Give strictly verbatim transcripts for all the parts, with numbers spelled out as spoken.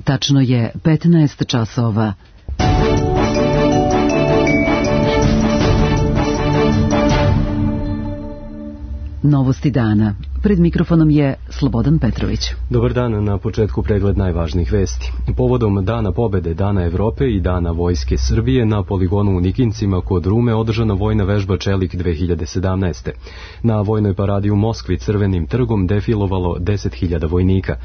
Tačno je petnaest časova. Novosti dana. Pred mikrofonom je Slobodan Petrović. Dobar dan, na početku pregled najvažnijih vesti. Povodom Dana pobede, Dana Evrope i Dana Vojske Srbije na poligonu u Nikincima kod Rume održana vojna vežba Čelik dve hiljade sedamnaeste. Na vojnoj paradi u Moskvi Crvenim trgom defilovalo deset hiljada vojnika.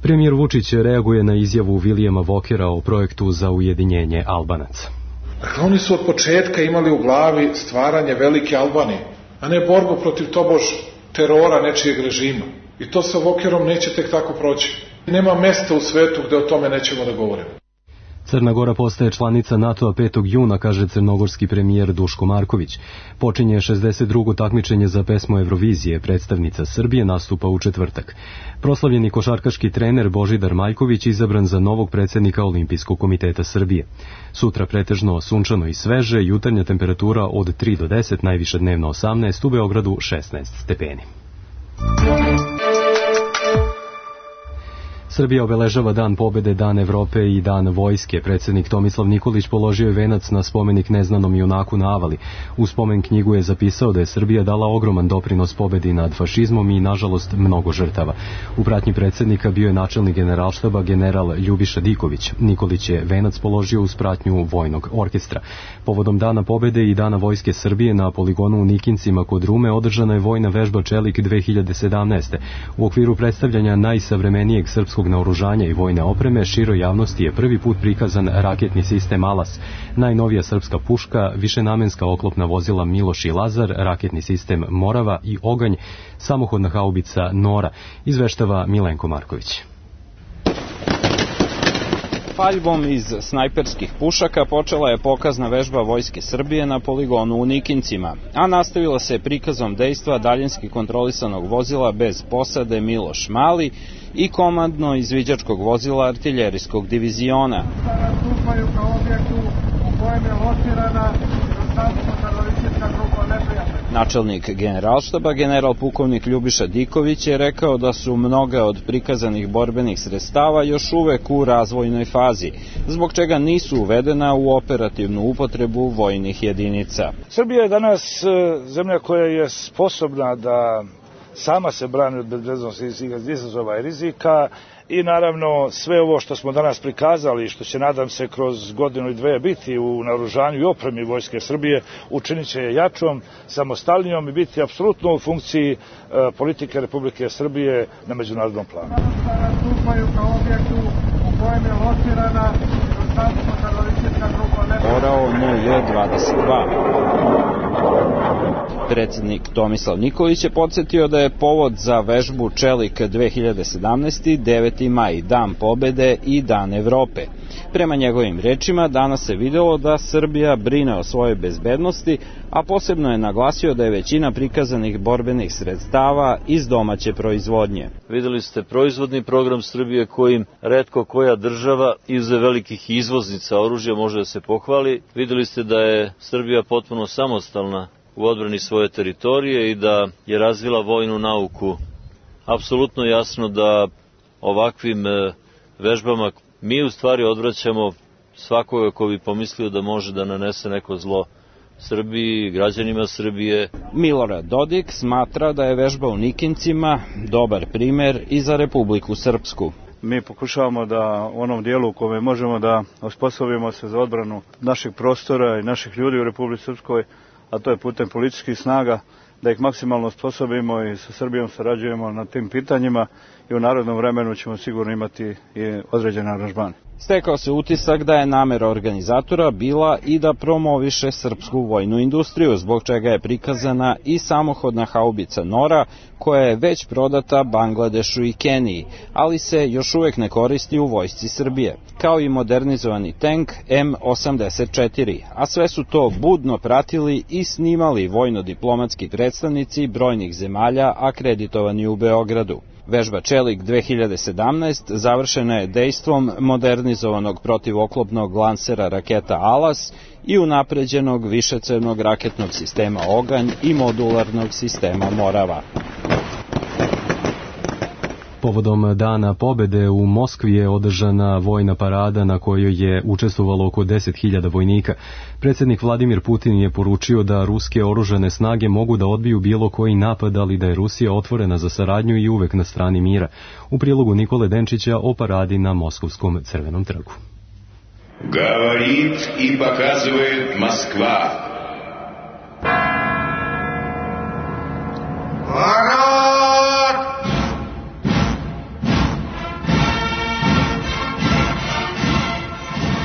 Premijer Vučić reaguje na izjavu Vilijama Vokera o projektu za ujedinjenje Albanaca. Dakle, oni su od početka imali u glavi stvaranje velike Albanije, a ne borbu protiv tobož terora nečijeg režima. I to sa Vokerom neće tek tako proći. Nema mesta u svetu gde o tome nećemo da govorimo. Crna Gora postaje članica NATO-a petog juna, kaže crnogorski premijer Duško Marković. Počinje šezdeset drugo takmičenje za pesmu Eurovizije, predstavnica Srbije nastupa u četvrtak. Proslavljeni košarkaški trener Božidar Maljković izabran za novog predsjednika Olimpijskog komiteta Srbije. Sutra pretežno sunčano i sveže, jutarnja temperatura od tri do deset, najviše dnevno osamnaest, u Beogradu šesnaest stepeni. Srbija obeležava Dan pobede, Dan Evrope i Dan Vojske. Predsjednik Tomislav Nikolić položio je venac na spomenik neznanom junaku na Avali. U spomen knjigu je zapisao da je Srbija dala ogroman doprinos pobedi nad fašizmom i, nažalost, mnogo žrtava. U pratnji predsjednika bio je načelnik generalštaba general Ljubiša Diković. Nikolić je venac položio uz pratnju vojnog orkestra. Povodom Dana pobede i Dana Vojske Srbije na poligonu u Nikincima kod Rume održana je vojna vežba Čelik dve hiljade sedamnaeste. U okviru predstavljanja najsavremenijeg srpskog naoružanja i vojne opreme široj javnosti je prvi put prikazan raketni sistem Alas, najnovija srpska puška, višenamenska oklopna vozila Miloš i Lazar, raketni sistem Morava i Oganj, samohodna haubica Nora, izveštava Milenko Marković. Paljbom iz snajperskih pušaka počela je pokazna vežba Vojske Srbije na poligonu u Nikincima, a nastavila se prikazom dejstva daljinski kontrolisanog vozila bez posade Miloš Mali i komandno izviđačkog vozila artiljerijskog diviziona. Nastupaju kao objektu u kojem je locirana teroristička grupa neprijatelja. Načelnik generalštaba, general pukovnik Ljubiša Diković, je rekao da su mnoga od prikazanih borbenih sredstava još uvek u razvojnoj fazi, zbog čega nisu uvedena u operativnu upotrebu vojnih jedinica. Srbija je danas zemlja koja je sposobna da sama se brani od bezbednosti izazova i rizika i naravno sve ovo što smo danas prikazali, što će nadam se kroz godinu i dve biti u naoružanju i opremi Vojske Srbije, učinit će je jačom, samostalnijom i biti apsolutno u funkciji e, politike Republike Srbije na međunarodnom planu. Nastupaju kao objektu u kojem je locirana teroristička grupa neprijatelja. Orao N J dvadeset dva. Predsjednik Tomislav Nikolić je podsjetio da je povod za vežbu Čelik dve hiljade sedamnaeste. deveti maj, Dan pobede i Dan Evrope. Prema njegovim rečima, danas se videlo da Srbija brine o svojoj bezbednosti, a posebno je naglasio da je većina prikazanih borbenih sredstava iz domaće proizvodnje. Videli ste proizvodni program Srbije kojim retko koja država izuzev velikih izvoznica oružja može da se pohvali. Videli ste da je Srbija potpuno samostalna u odbrani svoje teritorije i da je razvila vojnu nauku. Apsolutno jasno da ovakvim vežbama mi u stvari odvraćamo svakoga ko bi pomislio da može da nanese neko zlo Srbiji, građanima Srbije. Milorad Dodik smatra da je vežba u Nikincima dobar primer i za Republiku Srpsku. Mi pokušavamo da u onom dijelu u kome možemo da osposobimo se za odbranu naših prostora i naših ljudi u Republici Srpskoj, a to je putem policijskih snaga, da ih maksimalno osposobimo i sa Srbijom sarađujemo na tim pitanjima i u narednom vremenu ćemo sigurno imati i određene aranžmane. Stekao se utisak da je namera organizatora bila i da promoviše srpsku vojnu industriju, zbog čega je prikazana i samohodna haubica Nora, koja je već prodata Bangladešu i Keniji, ali se još uvek ne koristi u vojsci Srbije, kao i modernizovani tank M osamdeset četiri, a sve su to budno pratili i snimali vojno-diplomatski predstavnici brojnih zemalja akreditovani u Beogradu. Vežba Čelik dve hiljade sedamnaeste. završena je dejstvom modernizovanog protivoklopnog lansera raketa Alas i unapređenog višecevnog raketnog sistema Oganj i modularnog sistema Morava. Povodom Dana pobede u Moskvi je održana vojna parada na kojoj je učestvovalo oko deset hiljada vojnika. Predsjednik Vladimir Putin je poručio da ruske oružane snage mogu da odbiju bilo koji napad, ali da je Rusija otvorena za saradnju i uvek na strani mira. U prilogu Nikole Denčića o paradi na Moskovskom Crvenom trgu. Говорит и показывает Москва.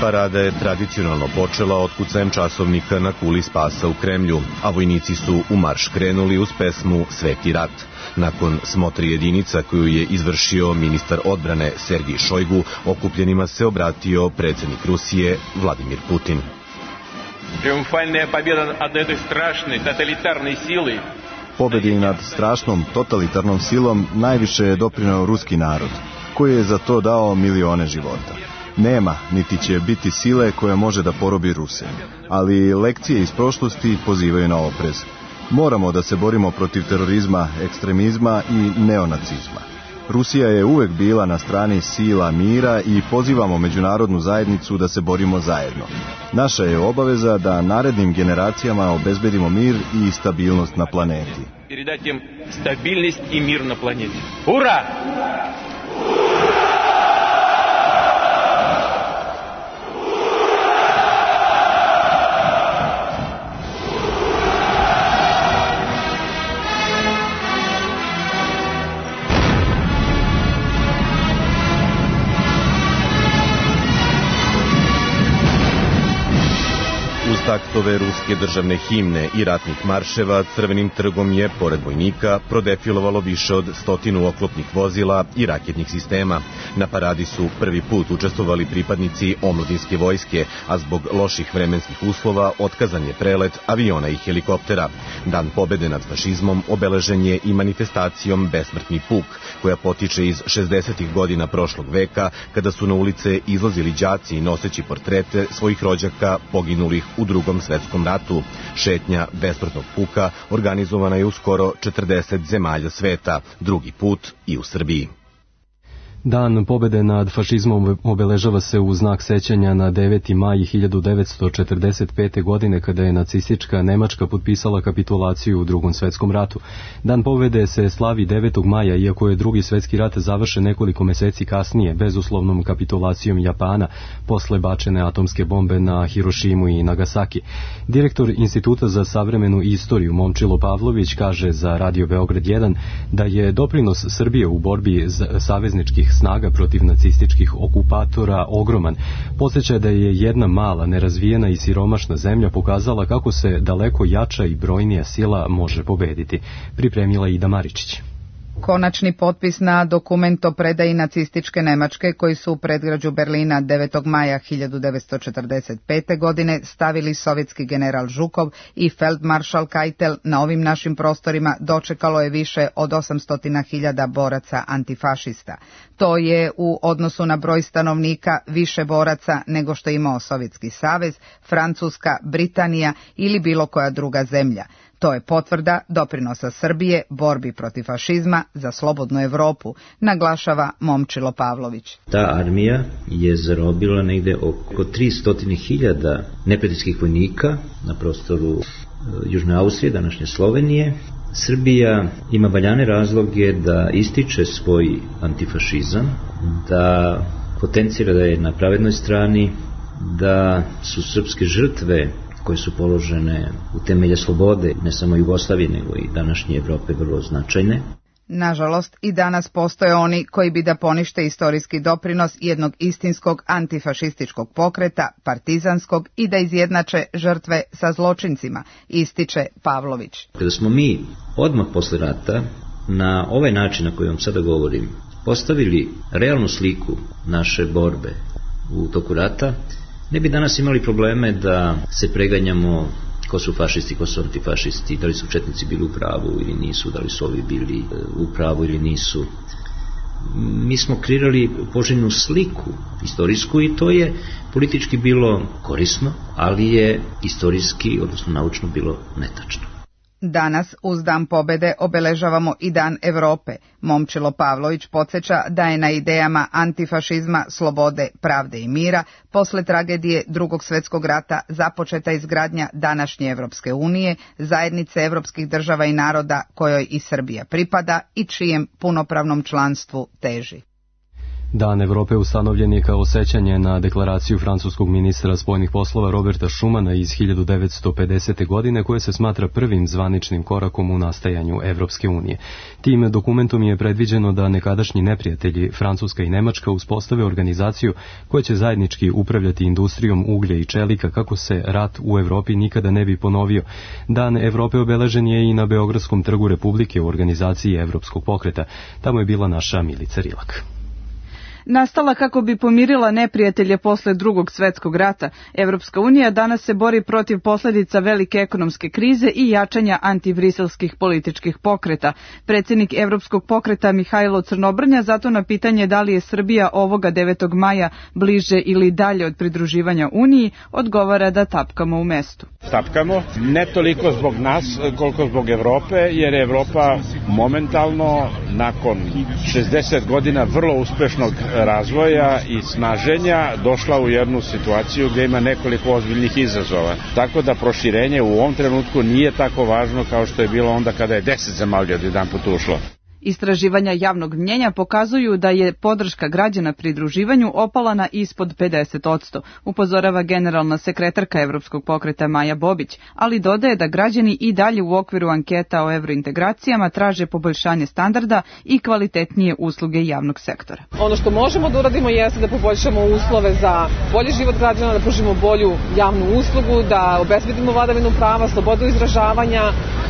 Parada je tradicionalno počela otkucajem časovnika na kuli spasa u Kremlju, a vojnici su u marš krenuli uz pesmu Sveti rat. Nakon smotri jedinica koju je izvršio ministar odbrane Sergij Šojgu, okupljenima se obratio predsjednik Rusije Vladimir Putin. Triumfalna pobjeda nad этой strašной totalitarnoj sili. Pobedi nad strašnom totalitarnom silom najviše je doprineo ruski narod, koji je za to dao milione života. Nema, niti će biti sile koja može da porobi Ruse, ali lekcije iz prošlosti pozivaju na oprez. Moramo da se borimo protiv terorizma, ekstremizma i neonacizma. Rusija je uvek bila na strani sila mira i pozivamo međunarodnu zajednicu da se borimo zajedno. Naša je obaveza da narednim generacijama obezbedimo mir i stabilnost na planeti. Передать им стабильность и мир на планете. Ура! Taktove ruske državne himne i ratnih marševa Crvenim trgom je, pored vojnika, prodefilovalo više od stotinu oklopnih vozila i raketnih sistema. Na paradi su prvi put učestvovali pripadnici omladinske vojske, a zbog loših vremenskih uslova otkazan je prelet aviona i helikoptera. Dan pobede nad fašizmom obeležen je i manifestacijom Besmrtni puk, koja potiče iz šezdesetih godina prošlog veka, kada su na ulice izlazili đaci noseći portrete svojih rođaka poginulih u Drugom svetskom ratu. Šetnja Besmrtnog puka organizovana je u skoro četrdeset zemalja sveta, drugi put i u Srbiji. Dan pobede nad fašizmom obeležava se u znak sećanja na deveti maj hiljadu devetsto četrdeset pete. godine kada je nacistička Nemačka potpisala kapitulaciju u Drugom svetskom ratu. Dan pobede se slavi devetog maja, iako je Drugi svetski rat završen nekoliko meseci kasnije bezuslovnom kapitulacijom Japana posle bačene atomske bombe na Hirošimu i Nagasaki. Direktor Instituta za savremenu istoriju Momčilo Pavlović kaže za Radio Beograd jedan da je doprinos Srbije u borbi savezničkih snaga protiv nacističkih okupatora ogroman. Podsjeća da je jedna mala, nerazvijena i siromašna zemlja pokazala kako se daleko jača i brojnija sila može pobediti. Pripremila Ida Maričić. Konačni potpis na dokument o predaji nacističke Nemačke koji su u predgrađu Berlina devetog maja hiljadu devetsto četrdeset pete. godine stavili sovjetski general Žukov i feldmaršal Keitel na ovim našim prostorima dočekalo je više od osamsto hiljada boraca antifašista. To je u odnosu na broj stanovnika više boraca nego što je imao Sovjetski savez, Francuska, Britanija ili bilo koja druga zemlja. To je potvrda doprinosa Srbije borbi protiv fašizma za slobodnu Evropu, naglašava Momčilo Pavlović. Ta armija je zarobila negde oko tristo hiljada neprijateljskih vojnika na prostoru Južne Austrije, današnje Slovenije. Srbija ima valjane razloge da ističe svoj antifašizam, da potencira da je na pravednoj strani, da su srpske žrtve koje su položene u temelje slobode, ne samo Jugoslavije, nego i današnje Evrope, vrlo značajne. Nažalost, i danas postoje oni koji bi da ponište istorijski doprinos jednog istinskog antifašističkog pokreta, partizanskog, i da izjednače žrtve sa zločincima, ističe Pavlović. Kada smo mi odmah posle rata, na ovaj način na koji vam sada govorim, postavili realnu sliku naše borbe u toku rata, ne bi danas imali probleme da se preganjamo ko su fašisti, ko su antifašisti, da li su četnici bili u pravu ili nisu, da li su ovi bili u pravu ili nisu. Mi smo kreirali poželjnu sliku istorijsku i to je politički bilo korisno, ali je istorijski, odnosno naučno, bilo netačno. Danas, uz Dan pobede, obeležavamo i Dan Evrope. Momčilo Pavlović podsjeća da je na idejama antifašizma, slobode, pravde i mira posle tragedije Drugog svjetskog rata započeta izgradnja današnje Evropske unije, zajednice evropskih država i naroda kojoj i Srbija pripada i čijem punopravnom članstvu teži. Dan Evrope ustanovljen je kao sećanje na deklaraciju francuskog ministra spoljnih poslova Roberta Schumana iz hiljadu devetsto pedesete. godine, koje se smatra prvim zvaničnim korakom u nastajanju Evropske unije. Tim dokumentom je predviđeno da nekadašnji neprijatelji Francuska i Nemačka uspostave organizaciju koja će zajednički upravljati industrijom uglja i čelika kako se rat u Evropi nikada ne bi ponovio. Dan Evrope obeležen je i na Beogradskom trgu Republike u organizaciji Evropskog pokreta. Tamo je bila naša Milica Rilak. Nastala kako bi pomirila neprijatelje posle Drugog svjetskog rata, Evropska unija danas se bori protiv posljedica velike ekonomske krize i jačanja antibriselskih političkih pokreta. Predsjednik Evropskog pokreta Mihajlo Crnobrnja zato na pitanje da li je Srbija ovoga devetog maja bliže ili dalje od pridruživanja Uniji, odgovara da tapkamo u mestu. Tapkamo, ne toliko zbog nas koliko zbog Evrope, jer je Evropa momentalno nakon šezdeset godina vrlo uspešnog razvoja i snaženja došla u jednu situaciju gdje ima nekoliko ozbiljnih izazova. Tako da proširenje u ovom trenutku nije tako važno kao što je bilo onda kada je deset zemalja odjedanput ušlo. Istraživanja javnog mnjenja pokazuju da je podrška građana pridruživanju opala na ispod pedeset odsto, upozorava generalna sekretarka Evropskog pokreta Maja Bobić, ali dodaje da građani i dalje u okviru anketa o evrointegracijama traže poboljšanje standarda i kvalitetnije usluge javnog sektora. Ono što možemo da uradimo jeste da poboljšamo uslove za bolji život građana, da pružimo bolju javnu uslugu, da obezbedimo vladavinu prava, slobodu izražavanja,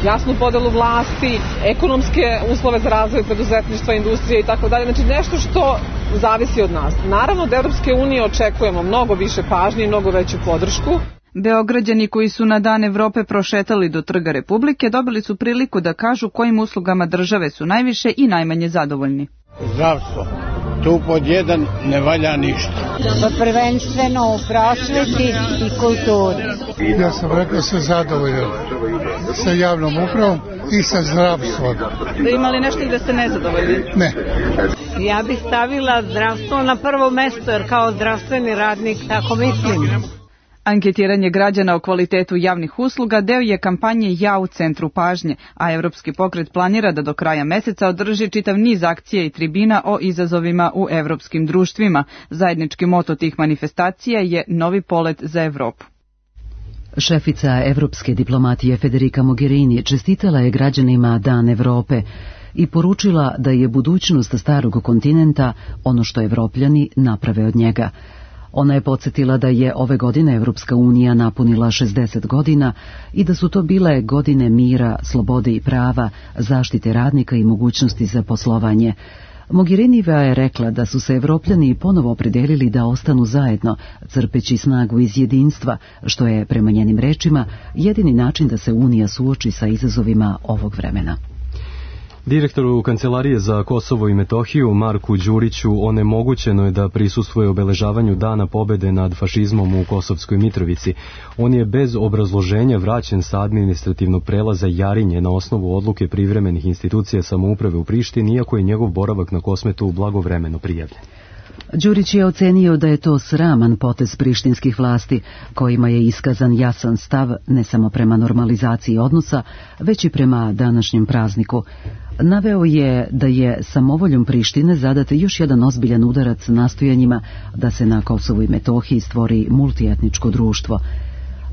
jasnu podelu vlasti, ekonomske uslove za razvoj preduzetništva, industrije i tako dalje. Znači nešto što zavisi od nas. Naravno od Evropske unije očekujemo mnogo više pažnje i mnogo veću podršku. Beograđani koji su na Dan Evrope prošetali do Trga Republike dobili su priliku da kažu kojim uslugama države su najviše i najmanje zadovoljni. Zdravstvo. Tu pod jedan ne valja ništa. Prvenstveno u prosveti i kulturi. Ja sam rekao se zadovoljan sa javnom upravom i sa zdravstvom. Da imali nešto i da ste nezadovoljni? Ne. Ja bih stavila zdravstvo na prvo mesto, jer kao zdravstveni radnik tako mislim. Anketiranje građana o kvalitetu javnih usluga deo je kampanje Ja u centru pažnje, a Evropski pokret planira da do kraja meseca održi čitav niz akcija i tribina o izazovima u evropskim društvima. Zajednički moto tih manifestacija je Novi polet za Evropu. Šefica evropske diplomatije Federica Mogherini čestitala je građanima Dan Evrope i poručila da je budućnost starog kontinenta ono što Evropljani naprave od njega. Ona je podsjetila da je ove godine Evropska unija napunila šezdeset godina i da su to bile godine mira, slobode i prava, zaštite radnika i mogućnosti za poslovanje. Mogherinijeva je rekla da su se Evropljani ponovo opredelili da ostanu zajedno, crpeći snagu iz jedinstva, što je, prema njenim rečima, jedini način da se Unija suoči sa izazovima ovog vremena. Direktoru Kancelarije za Kosovo i Metohiju Marku Đuriću onemogućeno je da prisustvuje obeležavanju Dana pobede nad fašizmom u Kosovskoj Mitrovici. On je bez obrazloženja vraćen sa administrativnog prelaza Jarinje na osnovu odluke privremenih institucija samouprave u Prištini, iako je njegov boravak na Kosmetu blagovremeno prijavljen. Đurić je ocenio da je to sraman potez prištinskih vlasti, kojima je iskazan jasan stav ne samo prema normalizaciji odnosa, već i prema današnjem prazniku. Naveo je da je samovoljom Prištine zadat još jedan ozbiljan udarac nastojanjima da se na Kosovu i Metohiji stvori multietničko društvo.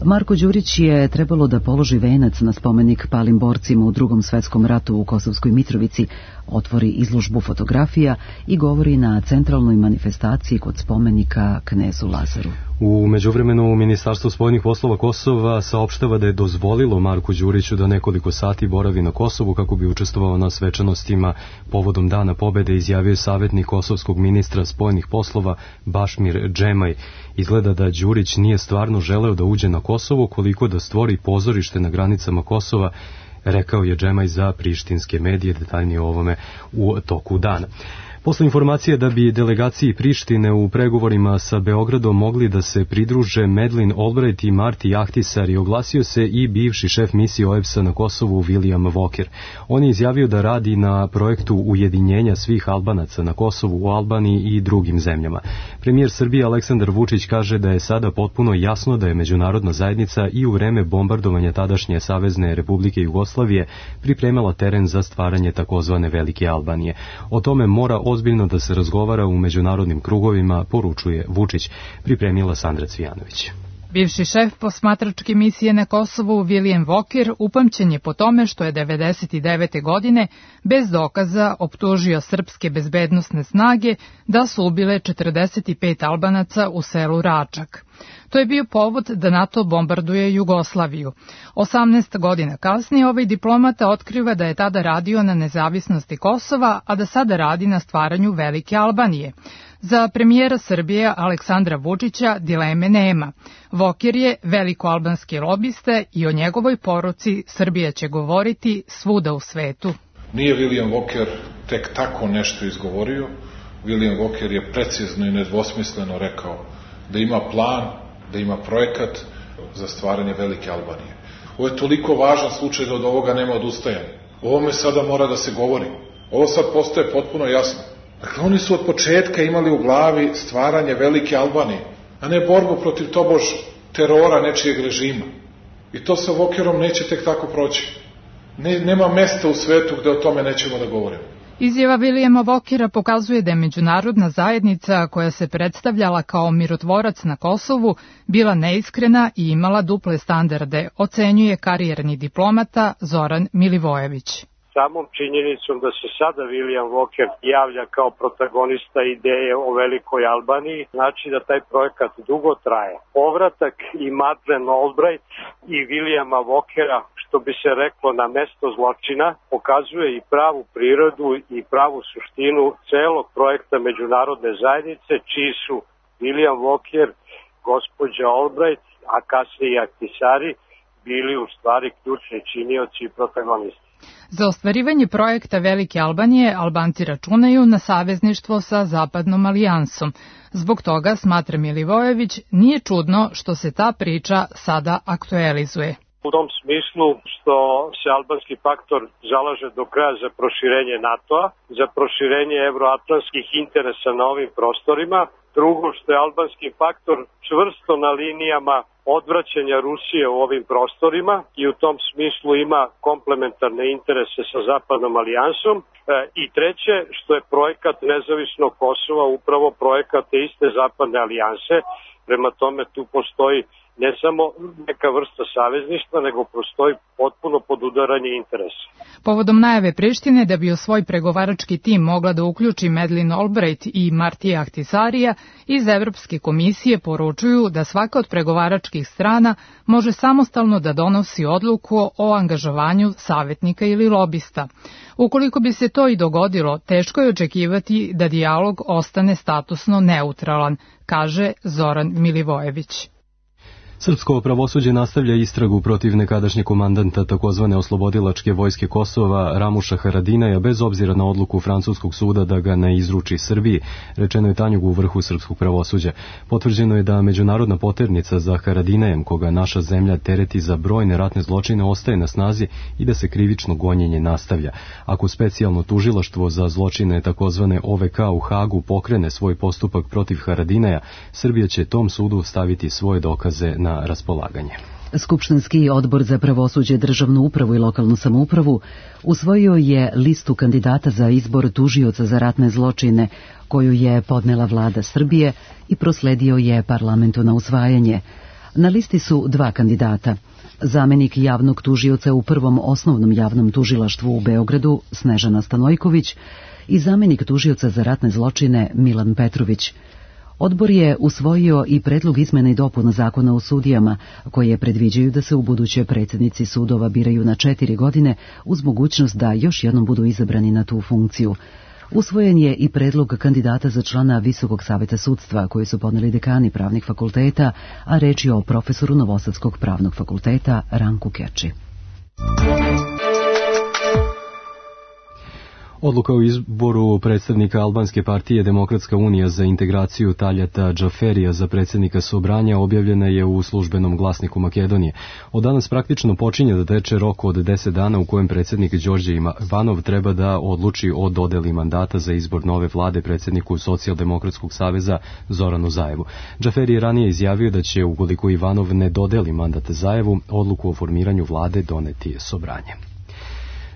Marko Đurić je trebalo da položi venac na spomenik palim borcima u Drugom svjetskom ratu u Kosovskoj Mitrovici, otvori izložbu fotografija i govori na centralnoj manifestaciji kod spomenika knezu Lazaru. U međuvremenu Ministarstvo spoljnih poslova Kosova saopštava da je dozvolilo Marku Đuriću da nekoliko sati boravi na Kosovu kako bi učestvovao na svečanostima povodom Dana pobede, izjavio savjetnik kosovskog ministra spoljnih poslova Bašmir Džemaj. Izgleda da Đurić nije stvarno želeo da uđe na Kosovo, koliko da stvori pozorište na granicama Kosova, rekao je Džemaj za prištinske medije, detaljnije o ovome u toku dana. Posle informacije da bi delegaciji Prištine u pregovorima sa Beogradom mogli da se pridruže Madeleine Albright i Marti Ahtisari, oglasio se i bivši šef misije O E B S-a na Kosovu William Walker. On je izjavio da radi na projektu ujedinjenja svih Albanaca na Kosovu, u Albaniji i drugim zemljama. Premijer Srbije Aleksandar Vučić kaže da je sada potpuno jasno da je međunarodna zajednica i u vreme bombardovanja tadašnje Savezne Republike Jugoslavije pripremala teren za stvaranje takozvane Velike Albanije. O tome mora ozbiljno da se razgovara u međunarodnim krugovima, poručuje Vučić, pripremila Sandra Cvijanović. Bivši šef posmatračke misije na Kosovu William Walker upamćen je po tome što je devedeset devete. godine bez dokaza optužio srpske bezbednosne snage da su ubile četrdeset pet Albanaca u selu Račak. To je bio povod da NATO bombarduje Jugoslaviju. osamnaest godina kasnije ovaj diplomata otkriva da je tada radio na nezavisnosti Kosova, a da sada radi na stvaranju Velike Albanije. Za premijera Srbije Aleksandra Vučića dileme nema. Walker je velikoalbanski lobista i o njegovoj poruci Srbija će govoriti svuda u svetu. Nije William Walker tek tako nešto izgovorio. William Walker je precizno i nedvosmisleno rekao da ima plan, da ima projekat za stvaranje Velike Albanije. Ovo je toliko važan slučaj da od ovoga nema odustajanja. O ovome sada mora da se govori. Ovo sad postaje potpuno jasno. Dakle, oni su od početka imali u glavi stvaranje Velike Albanije, a ne borbu protiv tobož terora nečijeg režima. I to sa Walkerom neće tek tako proći. Ne, nema mesta u svetu gde o tome nećemo da govorimo. Izjava Williama Walkera pokazuje da je međunarodna zajednica, koja se predstavljala kao mirotvorac na Kosovu, bila neiskrena i imala duple standarde, ocenjuje karijerni diplomata Zoran Milivojević. Samom činjenicom da se sada William Walker javlja kao protagonista ideje o Velikoj Albaniji, znači da taj projekat dugo traje. Povratak i Madeleine Albright i Williama Walkera, što bi se reklo na mesto zločina, pokazuje i pravu prirodu i pravu suštinu celog projekta međunarodne zajednice, čiji su William Walker, gospođa Albright, a kasnije i Ahtisari, bili u stvari ključni činioci i protagonisti. Za ostvarivanje projekta Velike Albanije Albanci računaju na savezništvo sa Zapadnom alijansom. Zbog toga, smatra Milivojević, nije čudno što se ta priča sada aktualizuje. U tom smislu što se albanski faktor zalaže do kraja za proširenje NATO-a, za proširenje evroatlantskih interesa na ovim prostorima. Drugo, što je albanski faktor čvrsto na linijama odvraćanja Rusije u ovim prostorima i u tom smislu ima komplementarne interese sa Zapadnom alijansom. E, I treće, što je projekat nezavisnog Kosova upravo projekat te iste Zapadne alijanse. Prema tome tu postoji ne samo neka vrsta savezništva, nego postoji potpuno podudaranje interesa. Povodom najave Prištine da bi u svoj pregovarački tim mogla da uključi Madeleine Albright i Martija Ahtisarija, iz Evropske komisije poručuju da svaka od pregovaračkih strana može samostalno da donosi odluku o angažovanju savetnika ili lobista. Ukoliko bi se to i dogodilo, teško je očekivati da dijalog ostane statusno neutralan, kaže Zoran Milivojević. Srpsko pravosuđe nastavlja istragu protiv nekadašnjeg komandanta takozvane oslobodilačke vojske Kosova Ramuša Haradinaja bez obzira na odluku francuskog suda da ga ne izruči Srbiji, rečeno je Tanjugu u vrhu srpskog pravosuđa. Potvrđeno je da međunarodna poternica za Haradinajem, koga naša zemlja tereti za brojne ratne zločine, ostaje na snazi i da se krivično gonjenje nastavlja. Ako specijalno tužilaštvo za zločine takozvane O V K u Hagu pokrene svoj postupak protiv Haradinaja, Srbija će tom sudu staviti svoje dokaze na raspolaganje. Skupštinski odbor za pravosuđe, državnu upravu i lokalnu samoupravu usvojio je listu kandidata za izbor tužioca za ratne zločine koju je podnela vlada Srbije i prosledio je parlamentu na usvajanje. Na listi su dva kandidata. Zamenik javnog tužioca u prvom osnovnom javnom tužilaštvu u Beogradu Snežana Stanojković i zamenik tužioca za ratne zločine Milan Petrović. Odbor je usvojio i predlog izmena i dopuna zakona o sudijama, koje predviđaju da se ubuduće predsjednici sudova biraju na četiri godine uz mogućnost da još jednom budu izabrani na tu funkciju. Usvojen je i predlog kandidata za člana Visokog saveta sudstva, koji su podneli dekani pravnih fakulteta, a reč je o profesoru Novosadskog pravnog fakulteta Ranku Keči. Odluka o izboru predstavnika albanske partije Demokratska unija za integraciju Taljata Džaferija za predsjednika Sobranja objavljena je u službenom glasniku Makedonije. Od danas praktično počinje da teče rok od deset dana u kojem predsjednik Đorđe Ivanov treba da odluči o dodeli mandata za izbor nove vlade predsjedniku Socijaldemokratskog saveza Zoranu Zajevu. Džaferi je ranije izjavio da će, ukoliko Ivanov ne dodeli mandat Zajevu, odluku o formiranju vlade doneti Sobranje.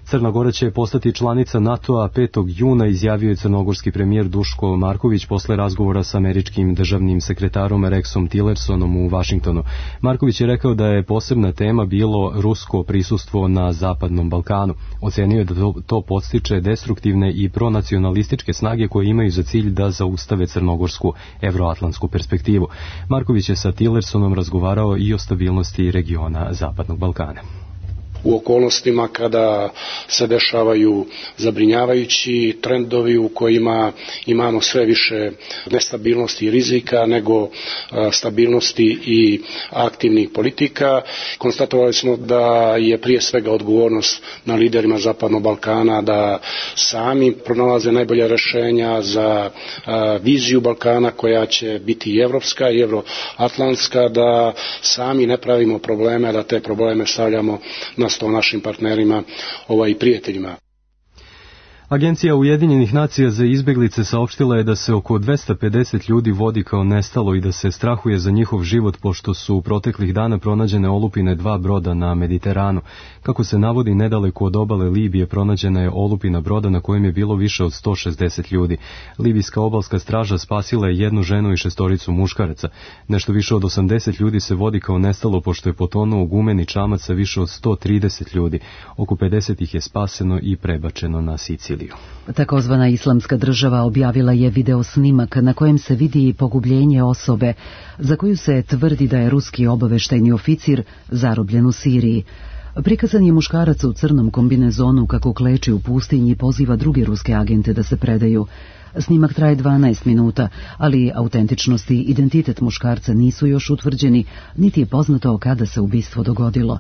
Crna Gora će postati članica NATO-a petog juna, izjavio je crnogorski premijer Duško Marković posle razgovora sa američkim državnim sekretarom Rexom Tillersonom u Vašingtonu. Marković je rekao da je posebna tema bilo rusko prisustvo na Zapadnom Balkanu. Ocenio je da to, to podstiče destruktivne i pronacionalističke snage koje imaju za cilj da zaustave crnogorsku evroatlantsku perspektivu. Marković je sa Tillersonom razgovarao i o stabilnosti regiona Zapadnog Balkana. U okolnostima kada se dešavaju zabrinjavajući trendovi u kojima imamo sve više nestabilnosti i rizika nego stabilnosti i aktivnih politika. Konstatovali smo da je prije svega odgovornost na liderima Zapadnog Balkana da sami pronalaze najbolja rješenja za viziju Balkana koja će biti i evropska i evroatlantska, da sami ne pravimo probleme, da te probleme stavljamo na sto našim partnerima ovaj, i prijateljima. Agencija Ujedinjenih nacija za izbjeglice saopštila je da se oko dvesta pedeset ljudi vodi kao nestalo i da se strahuje za njihov život pošto su u proteklih dana pronađene olupine dva broda na Mediteranu. Kako se navodi, nedaleko od obale Libije pronađena je olupina broda na kojem je bilo više od sto šezdeset ljudi. Libijska obalska straža spasila je jednu ženu i šestoricu muškaraca. Nešto više od osamdeset ljudi se vodi kao nestalo pošto je potonuo gumeni čamac sa više od sto trideset ljudi. Oko pedeset ih je spaseno i prebačeno na Siciliju. Takozvana Islamska država objavila je video snimak na kojem se vidi pogubljenje osobe za koju se tvrdi da je ruski obaveštajni oficir zarobljen u Siriji. Prikazan je muškarac u crnom kombinezonu kako kleči u pustinji i poziva druge ruske agente da se predaju. Snimak traje dvanaest minuta, ali autentičnost i identitet muškarca nisu još utvrđeni, niti je poznato kada se ubistvo dogodilo.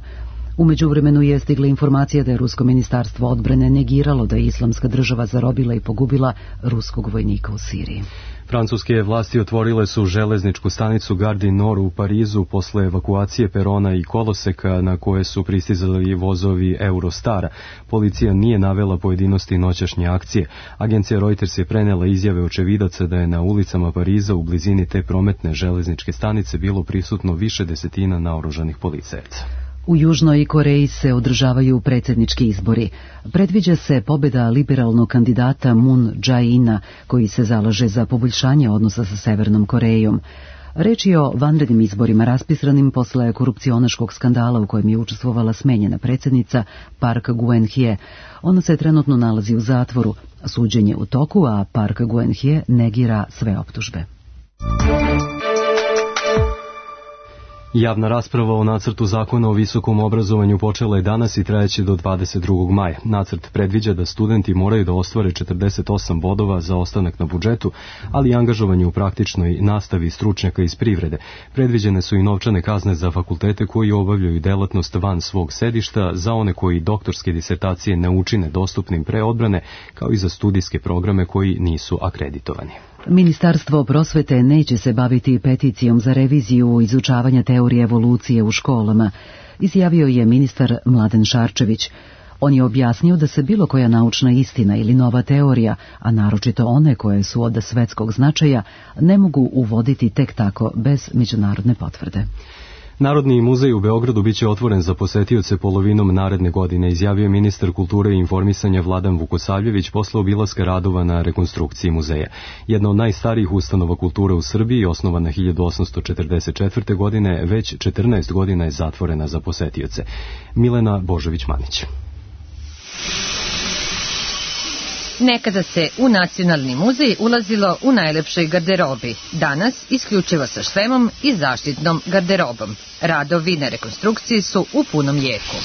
U međuvremenu je stigla informacija da je Rusko ministarstvo odbrane negiralo da je Islamska država zarobila i pogubila ruskog vojnika u Siriji. Francuske vlasti otvorile su železničku stanicu Gare du Nord u Parizu posle evakuacije perona i koloseka na koje su pristizali vozovi Eurostara. Policija nije navela pojedinosti noćašnje akcije. Agencija Reuters je prenela izjave očevidaca da je na ulicama Pariza u blizini te prometne železničke stanice bilo prisutno više desetina naoružanih policajaca. U Južnoj Koreji se održavaju predsjednički izbori. Predviđa se pobjeda liberalnog kandidata Moon Jae-ina, koji se zalaže za poboljšanje odnosa sa Severnom Korejom. Reč je o vanrednim izborima raspisanim posle korupcionaškog skandala u kojem je učestvovala smenjena predsjednica Park Geun-hye. Ona se trenutno nalazi u zatvoru. Suđenje u toku, a Park Geun-hye negira sve optužbe. Javna rasprava o nacrtu zakona o visokom obrazovanju počela je danas i trajeće do dvadeset drugog maja. Nacrt predviđa da studenti moraju da ostvare četrdeset osam bodova za ostanak na budžetu, ali i angažovanje u praktičnoj nastavi stručnjaka iz privrede. Predviđene su i novčane kazne za fakultete koji obavljaju delatnost van svog sedišta, za one koji doktorske disertacije ne učine dostupnim pre odbrane, kao i za studijske programe koji nisu akreditovani. Ministarstvo prosvete neće se baviti peticijom za reviziju izučavanja teorije evolucije u školama, izjavio je ministar Mladen Šarčević. On je objasnio da se bilo koja naučna istina ili nova teorija, a naročito one koje su od svetskog značaja, ne mogu uvoditi tek tako bez međunarodne potvrde. Narodni muzej u Beogradu biće otvoren za posetioce polovinom naredne godine, izjavio ministar kulture i informisanja Vladan Vukosavljević posle obilaska radova na rekonstrukciji muzeja. Jedna od najstarijih ustanova kulture u Srbiji, osnovana hiljadu osamsto četrdeset četvrte. godine, već četrnaest godina je zatvorena za posetioce. Milena Božović-Manić. Nekada se u Nacionalni muzej ulazilo u najlepšoj garderobi, danas isključivo sa šlemom i zaštitnom garderobom. Radovi na rekonstrukciji su u punom jeku.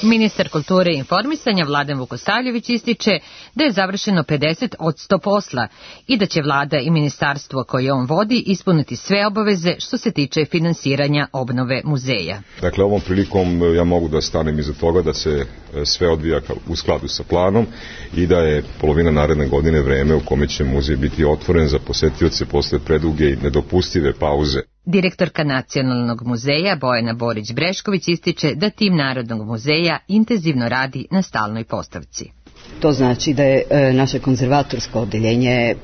Ministar kulture i informisanja Vladan Vukosavljević ističe da je završeno pedeset od sto posla i da će vlada i ministarstvo koje on vodi ispuniti sve obaveze što se tiče finansiranja obnove muzeja. Dakle, ovom prilikom ja mogu da stanem iza toga da se sve odvija u skladu sa planom i da je polovina naredne godine vreme u kome će muzej biti otvoren za posetioce posle preduge i nedopustive pauze. Direktorka Nacionalnog muzeja Bojana Borić-Brešković ističe da tim Narodnog muzeja intenzivno radi na stalnoj postavci. To znači da je e, naše konzervatorsko odeljenje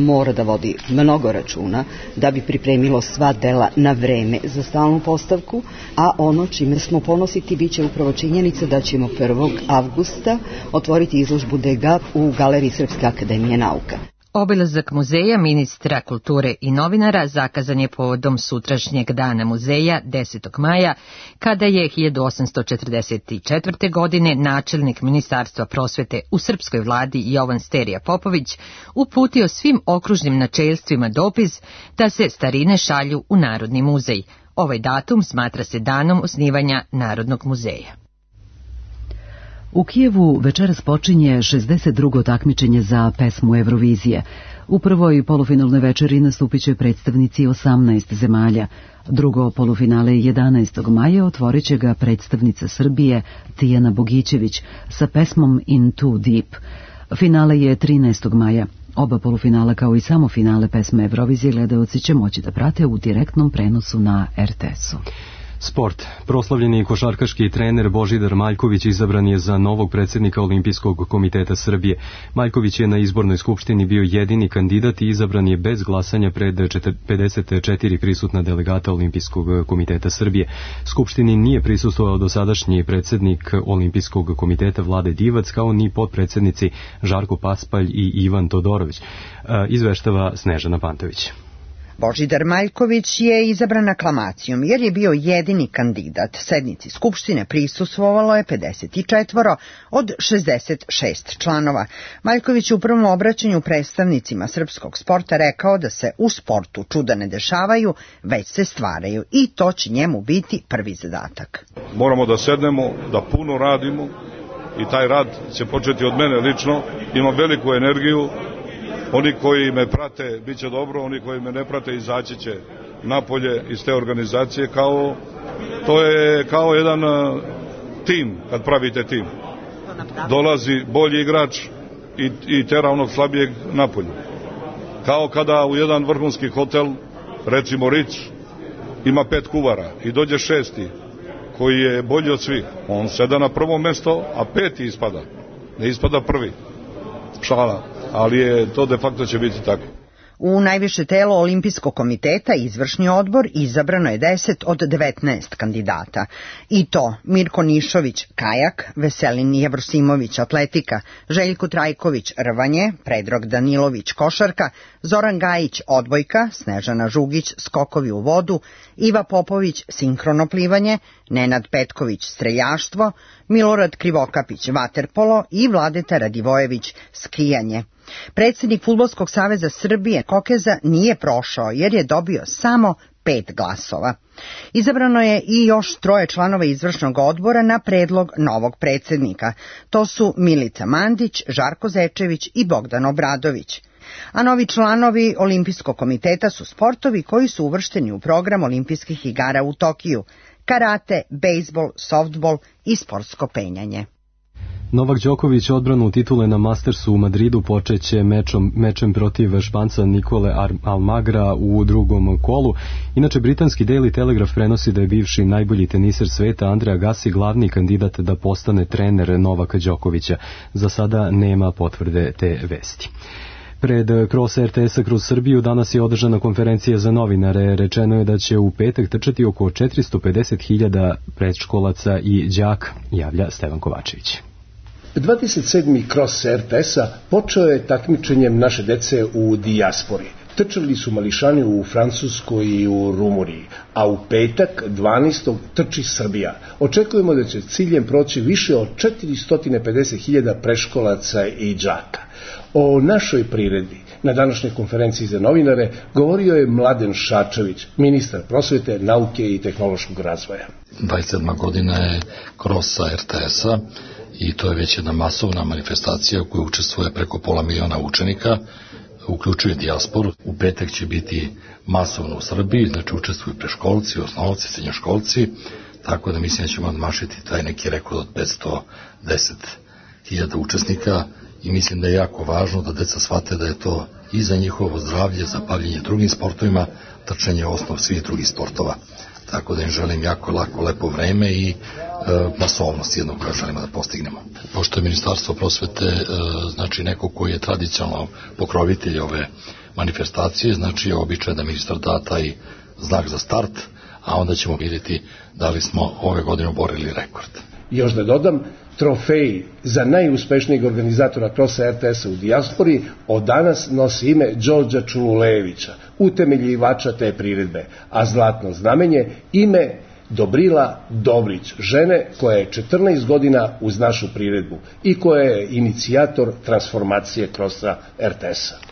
mora da vodi mnogo računa da bi pripremilo sva dela na vreme za stalnu postavku, a ono čime smo ponositi biće upravo činjenica da ćemo prvog avgusta otvoriti izložbu Degas u Galeriji Srpske akademije nauka. Obilazak muzeja ministra kulture i novinara zakazan je povodom sutrašnjeg dana muzeja desetog maja, kada je hiljadu osamsto četrdeset četvrte. godine načelnik Ministarstva prosvete u srpskoj vladi Jovan Sterija Popović uputio svim okružnim načelstvima dopis da se starine šalju u Narodni muzej. Ovaj datum smatra se danom osnivanja Narodnog muzeja. U Kijevu večeras počinje šezdeset drugo takmičenje za pesmu Eurovizije. U prvoj polufinalnoj večeri nastupit će predstavnici osamnaest zemalja. Drugo polufinale jedanaestog maja otvorit će ga predstavnica Srbije Tijana Bogićević sa pesmom In Too Deep. Finale je trinaestog maja. Oba polufinala kao i samo finale pesme Eurovizije gledaoci će moći da prate u direktnom prenosu na er te esu. Sport. Proslavljeni košarkaški trener Božidar Maljković izabran je za novog predsjednika Olimpijskog komiteta Srbije. Maljković je na izbornoj skupštini bio jedini kandidat i izabran je bez glasanja pred pedeset četiri prisutna delegata Olimpijskog komiteta Srbije. Skupštini nije prisustvovao dosadašnji predsjednik Olimpijskog komiteta Vlade Divac, kao ni potpredsjednici Žarko Paspalj i Ivan Todorović. Izveštava Snežana Pantović. Božidar Maljković je izabran aklamacijom jer je bio jedini kandidat. Sednici Skupštine prisustvovalo je pedeset četiri od šezdeset šest članova. Maljković je u prvom obraćanju predstavnicima srpskog sporta rekao da se u sportu čuda ne dešavaju, već se stvaraju i to će njemu biti prvi zadatak. Moramo da sednemo, da puno radimo i taj rad će početi od mene lično. Imam veliku energiju. Oni koji me prate bit će dobro, oni koji me ne prate izaći će napolje iz te organizacije. Kao, to je kao jedan uh, tim, kad pravite tim. Dolazi bolji igrač i, i tera onog slabijeg napolje. Kao kada u jedan vrhunski hotel, recimo Ritz, ima pet kuvara i dođe šesti koji je bolji od svih. On seda na prvo mesto, a peti ispada. Ne ispada prvi. Šala. Ali je to de facto će biti tako. U najviše telo Olimpijskog komiteta izvršni odbor izabrano je deset od devetnaest kandidata. I to Mirko Nišović kajak, Veselin Jevrosimović atletika, Željko Trajković rvanje, Predrag Danilović košarka, Zoran Gajić odbojka, Snežana Žugić skokovi u vodu, Iva Popović sinkrono plivanje, Nenad Petković streljaštvo, Milorad Krivokapić vaterpolo i Vladeta Radivojević skijanje. Predsjednik Fudbalskog saveza Srbije Kokeza nije prošao jer je dobio samo pet glasova. Izabrano je i još troje članova izvršnog odbora na predlog novog predsjednika. To su Milica Mandić, Žarko Zečević i Bogdan Obradović. A novi članovi Olimpijskog komiteta su sportovi koji su uvršteni u program Olimpijskih igara u Tokiju: karate, bejsbol, softbol i sportsko penjanje. Novak Đoković odbranu titule na Mastersu u Madridu počeće mečom, mečem protiv Španca Nikole Almagra u drugom kolu. Inače, britanski Daily Telegraph prenosi da je bivši najbolji teniser sveta Andrea Agassi glavni kandidat da postane trener Novaka Đokovića. Za sada nema potvrde te vesti. Pred Cross er te esa kroz Srbiju danas je održana konferencija za novinare. Rečeno je da će u petak trčati oko četiristo pedeset hiljada predškolaca i đaka, javlja Stevan Kovačević. dvadeset sedmi Cross er te esa počeo je takmičenjem naše dece u dijaspori. Trčali su mališani u Francuskoj i u Rumuniji, a u petak dvanaestog trči Srbija. Očekujemo da će ciljem proći više od četiristo pedeset hiljada predškolaca i đaka. O našoj priredbi Na današnjoj konferenciji za novinare govorio je Mladen Šarčević, ministar prosvete, nauke i tehnološkog razvoja. dvadeset sedma godina je krosa er te es-a i to je već jedna masovna manifestacija u kojoj učestvuje preko pola miliona učenika, uključuje dijasporu. U petak će biti masovno u Srbiji, znači učestvuju preškolci, osnovci, srednjoškolci, tako da mislim da ćemo odmašiti taj neki rekord od petsto deset hiljada učesnika i mislim da je jako važno da deca shvate da je to i za njihovo zdravlje, za bavljenje drugim sportovima, trčanje je osnov svih drugih sportova. Tako da im želim jako lako, lepo vreme i e, masovnost jednog koja želimo da postignemo. Pošto je Ministarstvo prosvete e, znači neko koji je tradicionalno pokrovitelj ove manifestacije, znači je običaj da ministar da taj znak za start, a onda ćemo vidjeti da li smo ove godine oborili rekord. Još da dodam, trofej za najuspešnijeg organizatora krosa er te es-a u dijaspori od danas nosi ime Đorđa Čululevića, utemeljivača te priredbe, a zlatno znamenje ime Dobrila Dobrić, žene koja je četrnaest godina uz našu priredbu i koja je inicijator transformacije krosa er te es-a.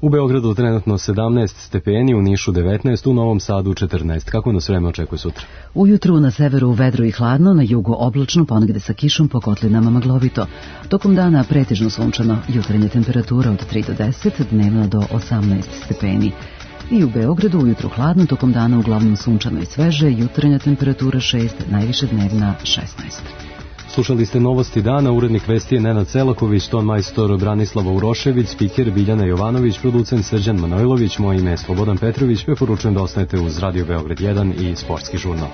U Beogradu trenutno sedamnaest stepeni, u Nišu devetnaest, u Novom Sadu četrnaest. Kako nas vreme očekuje sutra? Ujutru na severu vedro i hladno, na jugu oblačno, ponegde sa kišom, po kotlinama maglovito. Tokom dana pretežno sunčano, jutarnja temperatura od tri do deset, dnevna do osamnaest stepeni. I u Beogradu ujutru hladno, tokom dana uglavnom sunčano i sveže, jutarnja temperatura šest, najviše dnevna šesnaest. Slušali ste novosti dana, urednik vesti je Nenad Selaković, ton majstor Branislava Urošević, spiker Biljana Jovanović, producent Srđan Manojlović, moje ime je Slobodan Petrović, preporučujem da ostanete uz Radio Beograd jedan i Sportski žurnal.